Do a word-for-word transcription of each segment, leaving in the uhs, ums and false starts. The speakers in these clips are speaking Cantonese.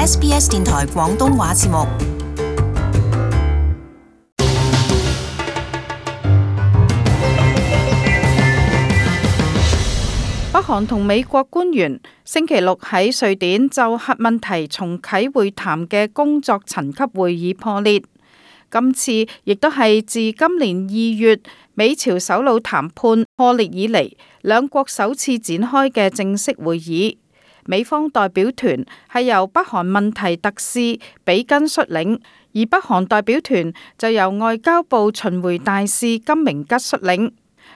S B S 電台廣東話節目。北韓同美國官員星期六喺瑞典就核問題重啟會談嘅工作層級會議破裂。今次亦都係自今年二月美朝首腦談判破裂以嚟，兩國首次展開嘅正式會議。美方代表團係由北韓問題特使比根率領，而北韓代表團就由外交部巡迴大使金明吉率領。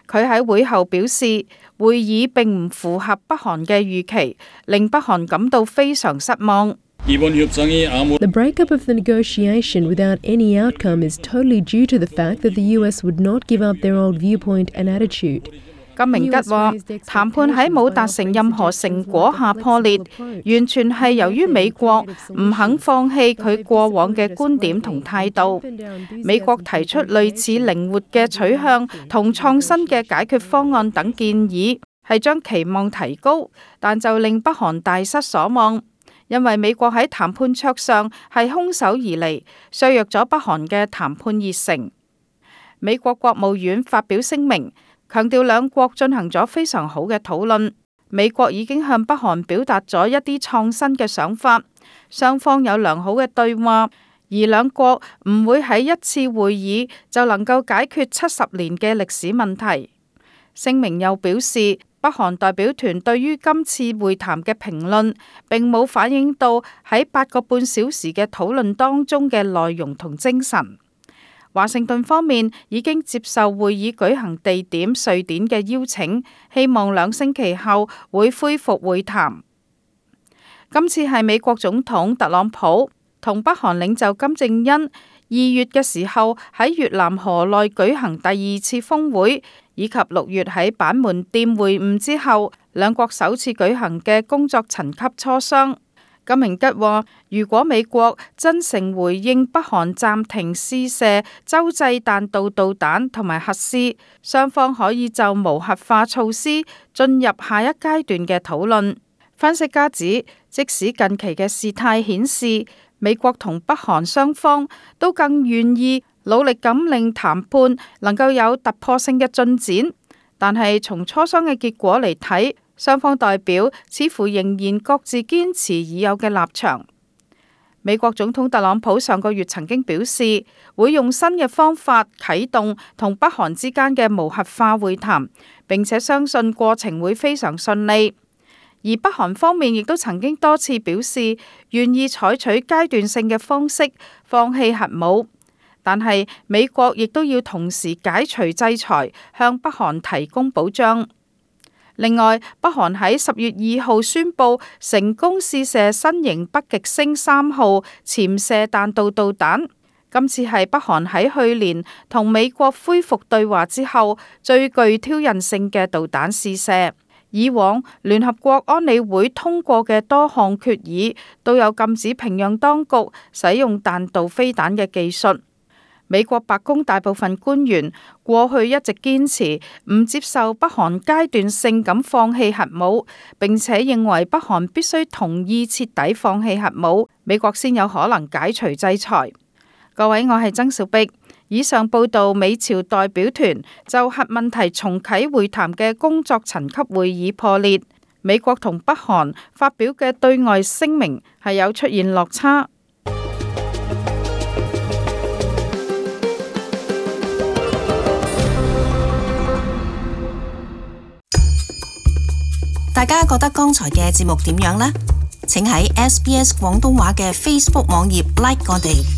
佢喺會後表示，會議並唔符合北韓嘅預期，令北韓感到非常失望。The breakup of the negotiation without any outcome is totally due to the fact that the U S would not give up their old viewpoint and attitude. 金明吉話，談判喺冇達成任何成果下破裂，完全係由於美國唔肯放棄佢過往嘅觀點同態度。美國提出類似靈活嘅取向同創新嘅解決方案等建議，係將期望提高，但就令北韓大失所望，因為美國喺談判桌上係空手而嚟，削弱咗北韓嘅談判熱誠。美國國務院發表聲明，強調兩國進行咗非常好嘅討論，美國已經向北韓表達咗一啲創新嘅想法，雙方有良好嘅對話，而兩國唔會喺一次會議就能夠解決七十年嘅歷史問題。聲明又表示，北韓代表團對於今次會談嘅評論並冇反映到喺八個半小時嘅討論當中嘅內容同精神。華盛頓方面已經接受會議舉行地點瑞典嘅邀請，希望兩星期後會恢復會談。今次係美國總統特朗普同北韓領袖金正恩二月嘅時候喺越南河內舉行第二次峰會，以及六月喺板門店會晤之後，兩國首次舉行嘅工作層級磋商。金明吉話，如果美國真誠回應北韓暫停試射洲際彈道導彈同埋核試，雙方可以就無核化措施進入下一階段嘅討論。分析家指，即使近期嘅事態顯示美國同北韓雙方都更願意努力咁令談判能夠有突破性嘅進展，但係從磋商嘅結果嚟睇，雙方代表似乎仍然各自堅持已有嘅立場。美國總統特朗普上個月曾經表示，會用新嘅方法啟動同北韓之間嘅無核化會談，並且相信過程會非常順利。而北韓方面亦都曾經多次表示願意採取階段性嘅方式放棄核武，但係美國亦都要同時解除制裁，向北韓提供保障。另外，北韓喺十月二號宣布成功試射新型北極星三號潛射彈道導彈，今次係北韓喺去年同美國恢復對話之後最具挑釁性嘅導彈試射。以往聯合國安理會通過嘅多項決議都有禁止平壤當局使用彈道飛彈嘅技術。美國白宮大部分官員過去一直堅持唔接受北韓階段性咁放棄核武，並且認為北韓必須同意徹底放棄核武，美國先有可能解除制裁。各位，我係曾小碧。以上報道美朝代表團就核問題重啟會談嘅工作層級會議破裂，美國同北韓發表嘅對外聲明係有出現落差。大家覺得剛才嘅節目點樣呢？請喺 S B S 廣東話嘅 Facebook 網頁 like 我哋。